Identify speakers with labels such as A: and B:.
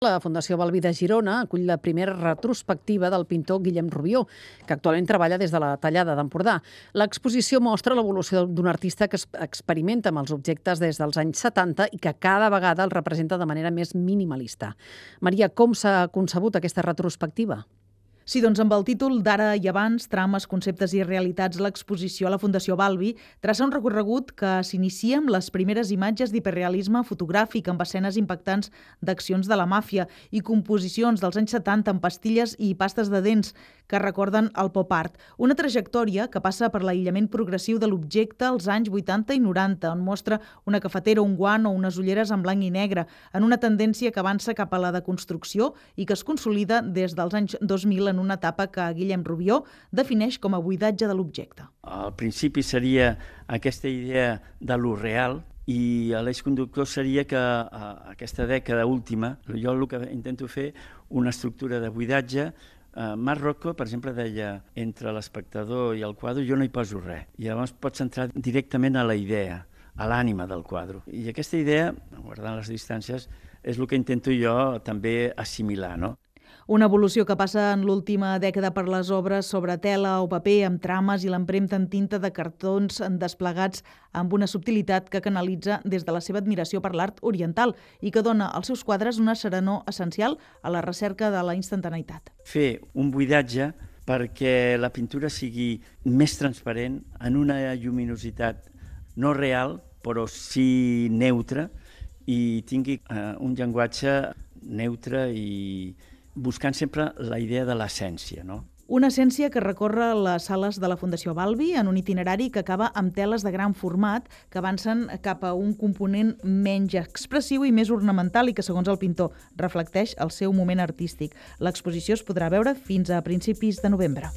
A: La Fundació Balbi de Girona acull la primera retrospectiva del pintor Guillem Rubió, que actualment treballa des de la Tallada d'Empordà. L'exposició mostra l'evolució d'un artista que experimenta amb els objectes des dels anys 70 i que cada vegada el representa de manera més minimalista. Maria, com s'ha concebut aquesta retrospectiva?
B: Sí, doncs amb el títol d'Ara i abans, trames, conceptes i realitats, l'exposició a la Fundació Balbi traça un recorregut que s'inicia amb les primeres imatges d'hiperrealisme fotogràfic amb escenes impactants d'accions de la màfia i composicions dels anys 70 amb pastilles i pastes de dents que recorden el pop art. Una trajectòria que passa per l'aïllament progressiu de l'objecte als anys 80 i 90, on mostra una cafetera, un guant o unes ulleres en blanc i negre, en una tendència que avança cap a la deconstrucció i que es consolida des dels anys 2000 en una etapa que Guillem Rubió defineix com a buidatge de l'objecte.
C: Al principi seria aquesta idea de lo real i l'eix conductor seria que aquesta dècada última, jo el que intento fer una estructura de buidatge. Marc Rocco, per exemple, deia entre l'espectador i el quadre jo no hi poso res. I llavors pots entrar directament a la idea, a l'ànima del quadre. I aquesta idea, guardant les distàncies, és el que intento jo també assimilar, no?
B: Una evolució que passa en l'última dècada per les obres sobre tela o paper amb trames i l'empremta en tinta de cartons desplegats amb una subtilitat que canalitza des de la seva admiració per l'art oriental i que dona als seus quadres una serenor essencial a la recerca de la instantaneïtat.
C: Fer un buidatge perquè la pintura sigui més transparent en una lluminositat no real, però sí neutra, i tingui un llenguatge neutre i buscant sempre la idea de l'essència, no?
B: Una essència que recorre les sales de la Fundació Balbi en un itinerari que acaba amb teles de gran format que avancen cap a un component menys expressiu i més ornamental i que, segons el pintor, reflecteix el seu moment artístic. L'exposició es podrà veure fins a principis de novembre.